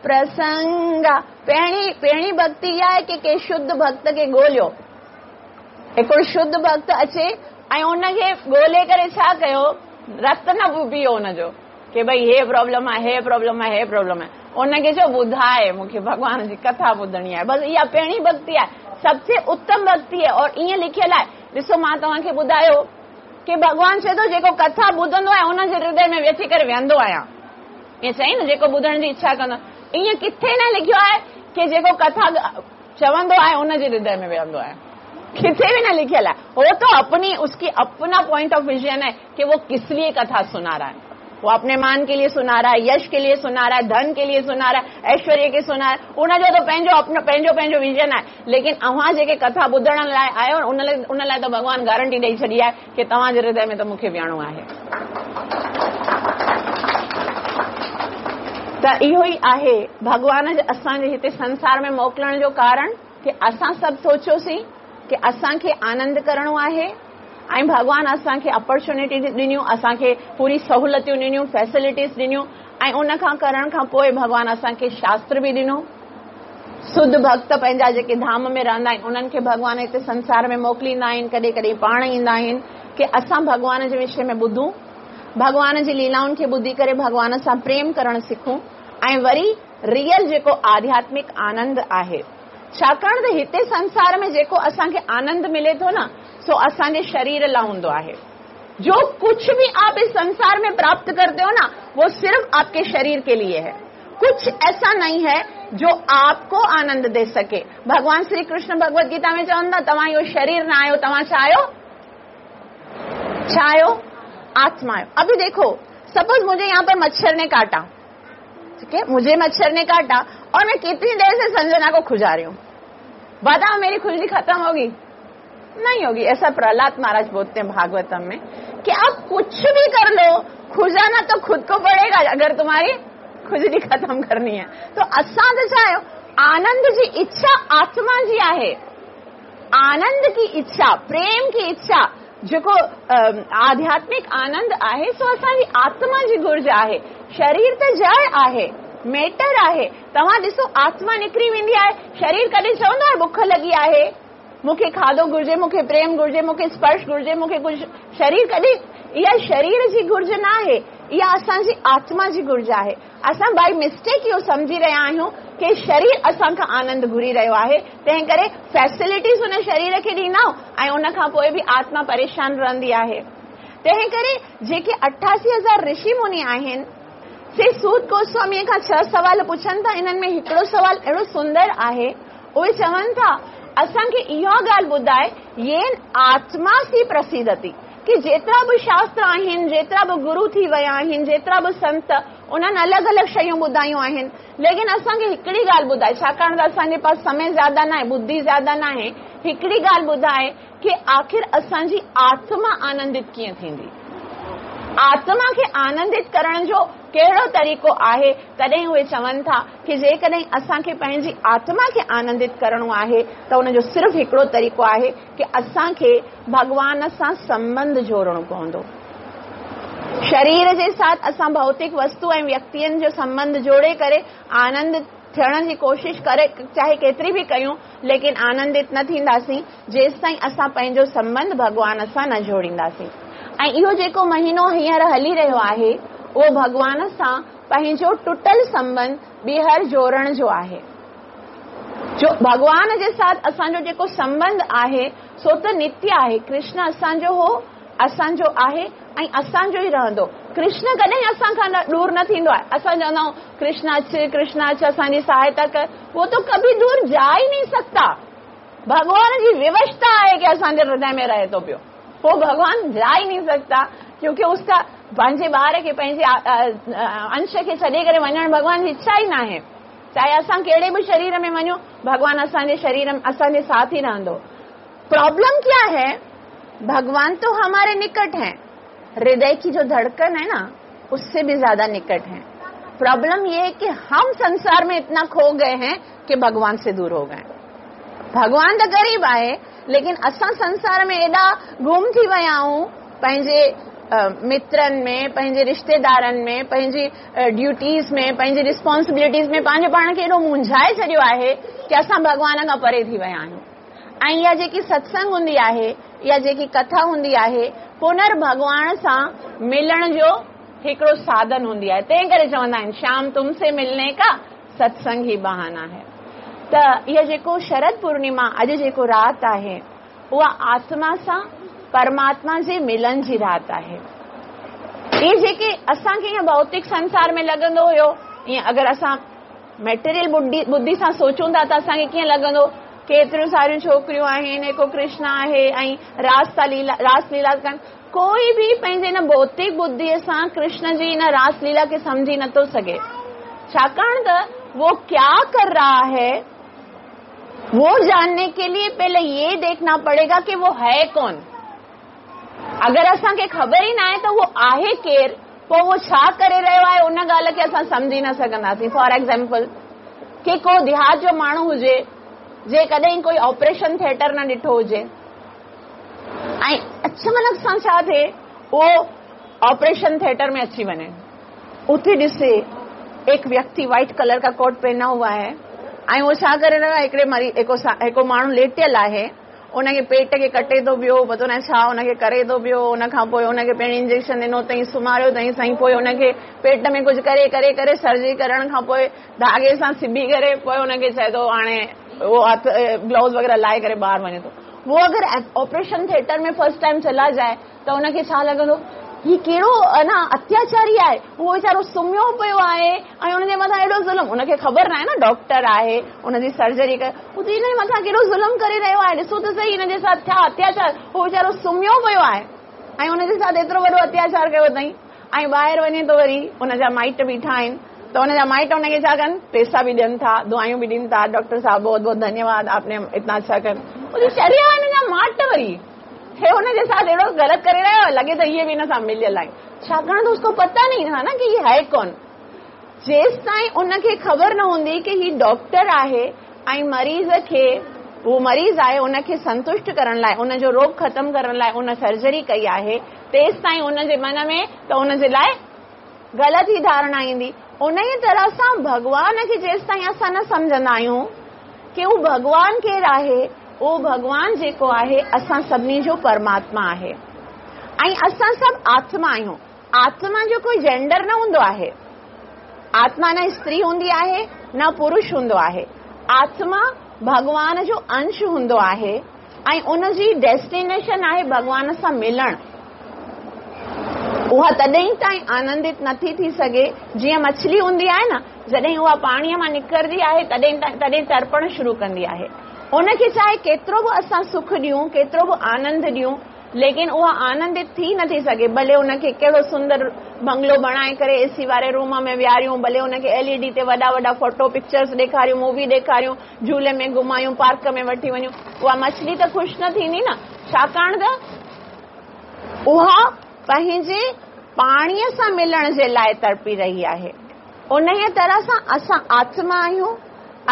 प्रसंगा। पहिरीं पहिरीं भक्ति इहा आहे की कंहिं शुद्ध भक्त खे ॻोल्हियो। हिकिड़ो शुद्ध भक्त अचे ऐं उनखे ॻोल्हे करे छा कयो, रत न पियो हुनजो की भई हे प्रॉब्लम आहे, हे प्रॉब्लम आहे, हे प्रॉब्लम आहे। उनखे चयो ॿुधाए मूंखे भॻवान जी कथा ॿुधणी आहे। बसि इहा पहिरीं भक्ति आहे, सबसे उत्तम भक्ति है। और ईअं लिखियलु आहे, ॾिसो मां तव्हांखे ॿुधायो की भॻवान चए थो जेको कथा ॿुधंदो आहे हुनजे हृदय में अची करे वेहंदो आहियां। ईअं चई न, जेको ॿुधण जी इच्छा कंदो। ईअं किथे न लिखियो आहे की जेको कथा चवंदो आहे हुनजे हृदय में वेहंदो आहे, किथे भी न लिखियल आहे। वो तो अपनी उसकी अपना पॉइंट ऑफ विजन है कि वो किस लिए कथा सुना रहा है। वो अपने मान के लिए सुना रहा है, यश के लिए सुना रहा है, धन के लिए सुना रहा है, ऐश्वर्य के सुना रहा है। उनजो त पंहिंजो अपनो पंहिंजो पंहिंजो विजन आहे। लेकिन अव्हां जेके कथा ॿुधण लाइ आयो उन लाइ उन लाइ त भॻवान गारंटी ॾेई छॾी आहे की तव्हांजे हृदय में त मूंखे विहणो आहे। त इहो ई आहे भॻवान असांजे हिते संसार में मोकिलण जो कारण की असां सभु सोचियोसीं की असांखे आनंद करणो आहे ऐं भॻवान असांखे अपॉर्चुनिटी ॾिनियूं, असांखे पूरी सहूलियतूं ॾिनियूं, फैसिलिटीज़ ॾिनियूं ऐं उन खां करण खां पोइ भॻवान असांखे शास्त्र बि ॾिनो। शुद्ध भक्त पंहिंजा जेके धाम में रहंदा आहिनि उन्हनि खे भॻवान हिते संसार में मोकिलींदा आहिनि, कॾहिं कॾहिं पाण ईंदा आहिनि की असां भॻवान जे विषय में ॿुधूं, भॻवान जी लीलाउनि खे ॿुधी करे भॻवान सां प्रेम करणु सिखूं ऐं वरी रियल जेको आध्यात्मिक आनंद आहे। छाकाणि त हिते संसार में जेको असांखे आनंद मिले थो न, सो असांजे शरीर लाइ हूंदो आहे। जो कुछ भी आप इस संसार में प्राप्त करते हो ना, वो सिर्फ आपके शरीर के लिए है। कुछ ऐसा नहीं है जो आपको आनंद दे सके। भगवान श्री कृष्ण भगवत गीता में चवंदा, तव्हां इहो शरीर न आहियो, तव्हां छा आहियो? छा आहियो? आत्मा आहियो। अभी देखो, सपोज मुझे यहाँ पर मच्छर ने काटा, ठीक है, मुझे मच्छर ने काटा और मैं कितनी देर से संजना को खुजा रही हूँ, बताओ मेरी खुजली खत्म होगी? नहीं होगी। ऐसा प्रहलाद महाराज बोलते हैं भागवतम में कि आप कुछ भी कर लो, खुजाना तो खुद को पड़ेगा अगर तुम्हारी खुजली खत्म करनी है। तो असां त छा आहियो, आनंद जी इच्छा आत्मा जी आहे। आनंद की इच्छा, प्रेम की इच्छा, जेको आध्यात्मिक आनंद आहे सो असांजी आत्मा जी घुर्ज आहे। शरीर त जड़ आहे, मेटर आहे। तव्हां ॾिसो आत्मा निकिरी वेंदी आहे, शरीर कॾहिं चवंदो आहे बुख लॻी आहे, मूंखे खाधो घुर्जे, मूंखे प्रेम घुर्जे, मूंखे स्पर्श घुर्जे, मूंखे कुझु। शरीर कॾहिं, इहा शरीर जी घुर्ज न आहे, इहा असांजी आत्मा जी घुर्ज आहे। असां बाई मिस्टेक इहो सम्झी रहिया आहियूं की शरीर असां खां आनंद घुरी रहियो आहे, तंहिं करे फैसिलिटीज़ हुन शरीर खे ॾींदा आहियूं ऐं उन खां पोइ बि आत्मा परेशान रहंदी आहे। तंहिं करे जेके अठासी हज़ार ऋषि मुनि आहिनि से सूत गोस्वामीअ खां छह सवाल पुछनि था। इन्हनि में हिकिड़ो सवाल अहिड़ो सुंदर आहे, उहे चवनि था असांखे इहा ॻाल्हि ॿुधाए, येन आत्मा सी प्रसिदति, की जेतिरा बि शास्त्र आहिनि, जेतिरा बि गुरू थी विया आहिनि, जेतिरा बि संत, उन्हनि अलॻि अलॻि शयूं ॿुधायूं आहिनि, लेकिन असांखे हिकिड़ी ॻाल्हि ॿुधाए, छाकाणि त असांजे पास समय ज़्यादा न आहे, बुद्धि ज़्यादा न आहे, हिकिड़ी ॻाल्हि ॿुधाए की आख़िर असांजी आत्मा आनंदित कीअं थींदी, आत्मा खे आनंदित करण जो कहिड़ो तरीक़ो आहे। तॾहिं उहे चवनि था की जेकॾहिं असांखे पंहिंजी आत्मा खे आनंदित करणो आहे त उनजो सिर्फ़ु हिकिड़ो तरीक़ो आहे की असांखे भॻवान सां संबंध जोड़णो पवंदो। शरीर जे साथ असां भौतिक वस्तु ऐं व्यक्तियुनि जो संबंध जोड़े करे आनंद थियण जी कोशिश करे चाहे केतिरी बि कयूं, लेकिन आनंदित न थींदासीं जेसि ताईं असां पंहिंजो संबंध भॻवान सां न जोड़ींदासीं। ऐं इहो जेको महीनो हींअर हली रहियो आहे उहो भॻवान सां पंहिंजो टुटल संबंध ॿीहर जोड़ण जो आहे। जो भॻवान जे साथ असांजो जेको संबंध आहे सो त नित्य आहे। कृष्ण असांजो हो, असांजो आहे ऐं असांजो ई रहंदो। कृष्ण कॾहिं असां खां दूर न थींदो आहे। असां चवंदा आहियूं कृष्ण अच, कृष्ण अच, असांजी सहायता कर, उहो तो कभी दूर जा ई नहीं सकता। भॻवान जी विवशता आहे की असांजे हृदय में रहे थो पियो, वो भगवान जा ही नहीं सकता, क्योंकि उसका पंहिंजे ॿार खे पंहिंजे अंश खे छॾे करे वञण भॻवान जी इच्छा ई न आहे। चाहे असां कहिड़े बि शरीर में वञूं, भॻवान असांजे शरीर असांजे साथ ई रहंदो। प्रॉब्लम क्या है, भगवान तो हमारे निकट हैं, हृदय की जो धड़कन है ना उससे भी ज्यादा निकट है। प्रॉब्लम ये है कि हम संसार में इतना खो गए हैं कि भगवान से दूर हो गए। भगवान त ग़रीब आहे, लेकिन असां संसार में एॾा गुम थी विया आहियूं, पंहिंजे मित्रनि में, पंहिंजे रिश्तेदारनि में, पंहिंजी ड्यूटीज़ में, पंहिंजी रिस्पॉन्सिबिलिटीज़ में पंहिंजे पाण खे एॾो मुंझाए छॾियो आहे की असां भॻवान खां परे थी विया आहियूं। ऐं इहा जेकी सत्संग हूंदी आहे, इहा जेकी कथा हूंदी आहे, पुनर्भॻवान सां मिलण जो हिकिड़ो साधन हूंदी आहे। तंहिं करे चवंदा आहिनि श्याम तुमसे मिलने का सत्संग ही बहाना है। त इहा जेको शरद पूर्णिमा अॼु जेको राति आहे उहा आत्मा सां परमात्मा जे मिलन जी राति आहे। इहे जेके असांखे ईअं भौतिक संसार में लॻंदो हुयो, ईअं अगरि असां मेटेरियल बुद्धि बुद्धि सां सोचूं था त असांखे कीअं लॻंदो, केतिरियूं सारियूं छोकिरियूं आहिनि, हिकु कृष्ण आहे ऐं रास था लीला रास लीला कनि। कोई बि पंहिंजे हिन भौतिक बुद्धीअ सां कृष्ण जी हिन रास लीला खे सम्झी नथो सघे, छाकाणि त वो क्या कर रहा है वो जानने के लिए पहले ये देखना पड़ेगा कि वो है कौन। अगर असांखे ख़बर ई न आहे त उहो आहे केरु, पोइ उहो छा करे रहियो आहे, उन ॻाल्हि खे असां सम्झी न सघंदासीं। फॉर एग्ज़ाम्पल की को देहात जो माण्हू हुजे, जे कॾहिं कोई ऑपरेशन थिएटर न ॾिठो हुजे ऐं अचानक सां छा थिए उहो ऑपरेशन थिएटर में अची वञे, उते ॾिसे एक व्यक्ति व्हाइट कलर का कोट पहना हुआ है ऐं उहो छा करे रहियो आहे, हिकिड़े मरी हिकिड़ो माण्हू लेटियल आहे, उनखे पेट खे कटे थो पियो, पतो न छा उनखे करे थो पियो, उन खां पोइ उनखे पहिरीं इंजेक्शन ॾिनो अथई, सुम्हारियो अथई साईं, पोइ उनखे पेट में कुझु करे करे करे सर्जरी करण खां पोइ धागे सां सिबी करे पोइ उनखे चए थो हाणे उहो हथ ग्लव्स वग़ैरह लाहे करे ॿाहिरि वञे थो। उहो अगरि ऑपरेशन थिएटर में फर्स्ट टाइम चला जाए त उनखे छा लॻंदो, हीउ कहिड़ो न अत्याचारी आहे, उहो वीचारो सुम्हियो पियो आहे ऐं हुनजे मथां एॾो ज़ुल्म, हुनखे ख़बर न आहे न डॉक्टर आहे हुनजी सर्जरी करे, उहो हिन जे मथां केॾो ज़ुल्म करे रहियो आहे, ॾिसो त सही हिनजे साथ छा अत्याचार, उहो वीचारो सुम्हियो पियो आहे ऐं हुनजे साथ एतिरो वॾो अत्याचार कयो अथई। ऐं ॿाहिरि वञे थो वरी हुनजा माइट बीठा आहिनि त हुनजा माइट हुनखे छा कनि, पैसा बि ॾियनि था, दुआयूं बि ॾीनि था, डॉक्टर साहब बहुत बहुत धन्यवाद आपने इतना अच्छा कर, चरिया हिन जा माट वरी हे हुनजे साथ अहिड़ो ग़लति करे रहियो, लॻे त इहे बि हिन सां मिलियल आहिनि, छाकाणि त उसको पता नहीं था ना कि ये है कौन। जेसि ताईं उनखे ख़बर न हूंदी की ही डॉक्टर आहे ऐं मरीज़ खे उहो मरीज़ आहे उनखे संतुष्ट करण लाइ, उनजो रोग ख़तमु करण लाइ उन सर्जरी कई आहे, तेसि ताईं उनजे मन में त उनजे लाइ ग़लति ई धारणा ईंदी। उन ई तरह सां भॻवान खे जेसि ताईं असां न सम्झंदा आहियूं की उहो भॻवान केरु आहे, उहो भॻवान जेको आहे असां सभिनी जो परमात्मा आहे ऐं असां सभु आत्मा आहियूं। आत्मा जो कोई जेंडर न हूंदो आहे, आत्मा न स्त्री हूंदी आहे न पुरुष हूंदो आहे, आत्मा भॻवान जो अंश हूंदो आहे ऐं उनजी डेस्टिनेशन आहे भॻवान सां मिलण। उहा तॾहिं ताईं आनंदित नथी थी सघे, जीअं मछली हूंदी आहे न, जॾहिं उहा पाणीअ मां निकिरंदी आहे तॾहिं तॾहिं तर्पण शुरू कंदी आहे। उनखे चाहे केतिरो बि असां सुख ॾियूं, केतिरो बि आनंद ॾियूं, लेकिन उहा आनंदित थी नथी सघे। भले उनखे कहिड़ो सुंदर बंगलो बणाए करे एसी वारे रूम में विहारियूं, भले उनखे एलईडी ते वॾा वॾा फोटो पिक्चर्स ॾेखारियूं, मूवी ॾेखारियूं, झूले में घुमायूं, पार्क में वठी वञूं, उहा मछली त ख़ुशि न थींदी न, छाकाणि त उहा पंहिंजे पाणीअ सां मिलण जे लाइ तड़पी रही आहे। उन तरह सां असां आत्मा आहियूं,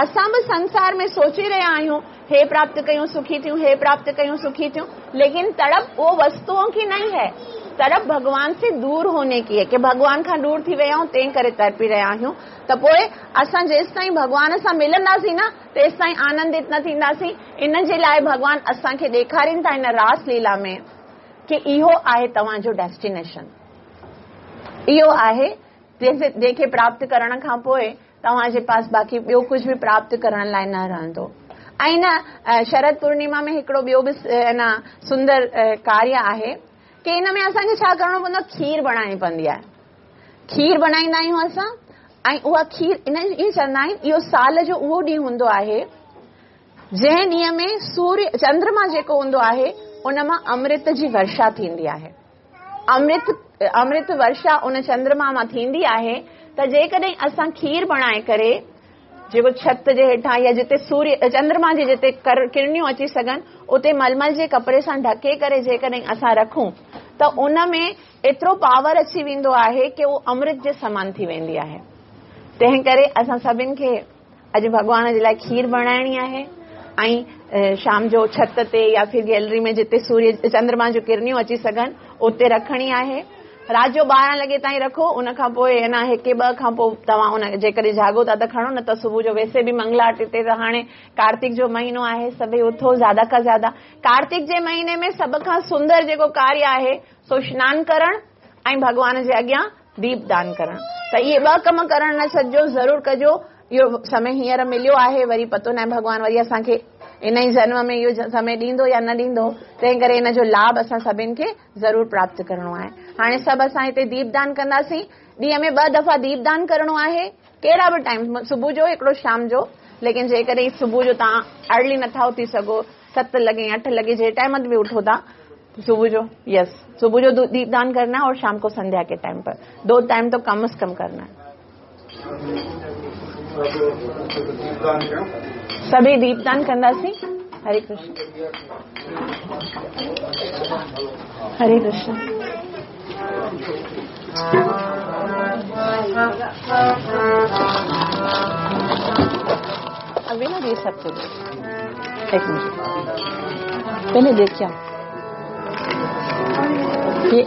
असां बि संसार में सोची रहिया आहियूं हे प्राप्त कयूं सुखी थियूं, हे प्राप्त कयूं सुखी थियूं, लेकिन तड़प वो वस्तुओं की नहीं है, तड़प भगवान से दूर होने की है कि भगवान खां दूर थी विया आहियूं तंहिं करे तड़पी रहिया आहियूं। त पोइ असां जेसि ताईं भॻवान सां मिलंदासीं न तेसि ताईं आनंदित न थींदासीं। इन जे लाइ भॻवान असांखे ॾेखारीनि था इन रास लीला में कि इहो आहे तव्हांजो डेस्टिनेशन, इहो आहे जंहिंखे प्राप्त करण खां पोइ तव्हांजे पास बाक़ी ॿियो कुझु बि प्राप्त करण लाइ न रहंदो। ऐं न शरद पूर्णिमा में हिकिड़ो ॿियो बि न सुंदर कार्य आहे कि इन में असांखे छा करिणो पवंदो आहे, खीर बणाइणी पवंदी आहे। खीर बणाईंदा आहियूं असां ऐं उहा खीर इन ईअं चवंदा आहिनि इहो साल जो उहो ॾींहुं हूंदो आहे जंहिं ॾींहं में सूर्य चंद्रमा जेको हूंदो आहे उन मां अमृत जी वर्षा थींदी आहे। अमृत अमृत वर्षा उन चंद्रमा मां थींदी आहे। त जेकॾहिं असां खीर बणाए करे जेको छत जे हेठां या जिते सूर्य चंद्रमा जी जिते किरणियूं अची सघनि उते मलमल जे कपिड़े सां ढके करे जेकॾहिं असां रखूं त उन में एतिरो पावर अची वेंदो आहे की उहो अमृत जे समान थी वेंदी आहे। तंहिं करे असां सभिनि खे अॼु भॻवान जे लाइ खीर बणाइणी आहे ऐं शाम जो छत ते या फिर गैलरी में जिते सूर्य चंद्रमा जो किरणियूं अची सघनि उते रखणी आहे। राति जो ॿारहं लॻे ताईं रखो, उन खां पोइ है न हिकु ॿ खां पोइ तव्हां उन जेकॾहिं जागो था त खणो, न त सुबुह जो वैसे बि मंगला आरती ते त हाणे कार्तिक जो महीनो आहे, सभई उथो ज़्यादा खां ज़्यादा। कार्तिक जे महीने में सभ खां सुंदर जेको कार्य आहे सो सनानु करणु ऐं भॻवान जे अॻियां दीपदान करणु। त इहे ॿ कम करणु न छॾिजो, ज़रूरु कजो। इहो समय हींअर मिलियो आहे, वरी पतो न आहे भॻवान वरी असांखे इन ई जन्म में इहो समय ॾींदो या न ॾींदो, तंहिं करे इन जो लाभ असां सभिनि खे ज़रूरु प्राप्त करिणो आहे। हाणे सभु असां हिते दीपदान कंदासीं। ॾींहं में ॿ दफ़ा दीपदान करिणो आहे, कहिड़ा बि टाइम, सुबुह जो हिकिड़ो शाम जो। लेकिन जेकॾहिं सुबुह जो तव्हां अर्ली नथा उथी सघो, सत लॻे अठ लॻे जे टाइम ते बि उठो था सुबुह जो, यस सुबुह जो दीपदान करना है और शाम को संध्या के टाइम पर, दो टाइम तो कम अज़ कम करना है। सभी दीपदान कंदासीं। हरे कृष्ण हरे कृष्ण। अभी ना ये सब कुछ एक मिनट पहले देख क्या ये।